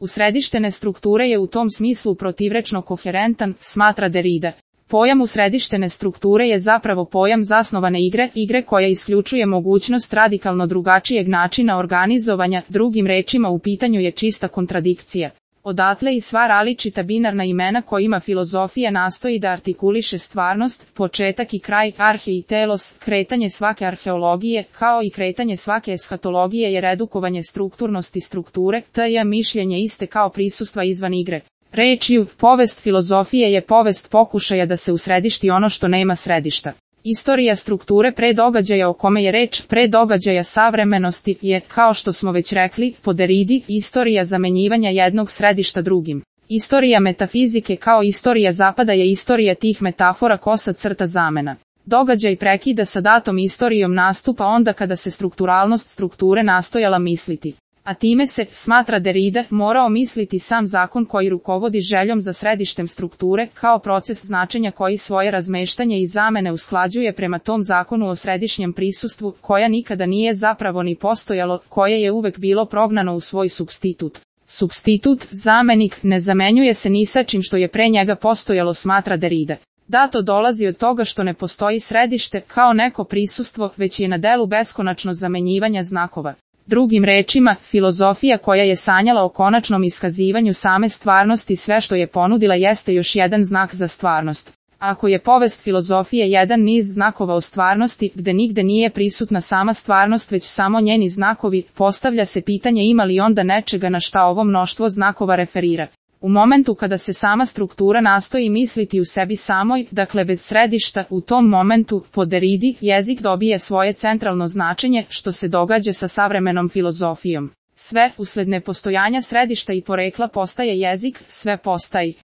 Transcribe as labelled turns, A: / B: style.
A: Usredištene strukture je u tom smislu protivrečno koherentan, smatra Derrida. Pojam usredištene strukture je zapravo pojam zasnovane igre koja isključuje mogućnost radikalno drugačijeg načina organizovanja, drugim rečima u pitanju je čista kontradikcija. Odatle i sva različita binarna imena kojima filozofija nastoji da artikuliše stvarnost, početak i kraj, arhe i telos, kretanje svake arheologije, kao i kretanje svake eshatologije je redukovanje strukturnosti strukture, t.j. mišljenje iste kao prisustva izvan igre. Rečju, povest filozofije je povest pokušaja da se usredišti ono što nema središta. Istorija strukture pre događaja o kome je reč, pre događaja savremenosti, je, kao što smo već rekli, po Derridi, istorija zamenjivanja jednog središta drugim. Istorija metafizike kao istorija zapada je istorija tih metafora kosa crta zamena. Događaj prekida sa datom istorijom nastupa onda kada se strukturalnost strukture nastojala misliti. A time se, smatra Derrida, morao misliti sam zakon koji rukovodi željom za središtem strukture, kao proces značenja koji svoje razmeštanje i zamene usklađuje prema tom zakonu o središnjem prisustvu, koja nikada nije zapravo ni postojalo, koje je uvek bilo prognano u svoj supstitut. Supstitut, zamenik, ne zamenjuje se ni sa čim što je pre njega postojalo, smatra Derrida. Da, to dolazi od toga što ne postoji središte, kao neko prisustvo, već je na delu beskonačno zamenjivanja znakova. Drugim rečima, filozofija koja je sanjala o konačnom iskazivanju same stvarnosti sve što je ponudila jeste još jedan znak za stvarnost. Ako je povest filozofije jedan niz znakova o stvarnosti, gde nigde nije prisutna sama stvarnost već samo njeni znakovi, postavlja se pitanje ima li onda nečega na šta ovo mnoštvo znakova referira. U momentu kada se sama struktura nastoji misliti u sebi samoj, dakle bez središta, u tom momentu, po Derridi, jezik dobije svoje centralno značenje, što se događa sa savremenom filozofijom. Sve, usled nepostojanja središta i porekla postaje jezik, sve postaje.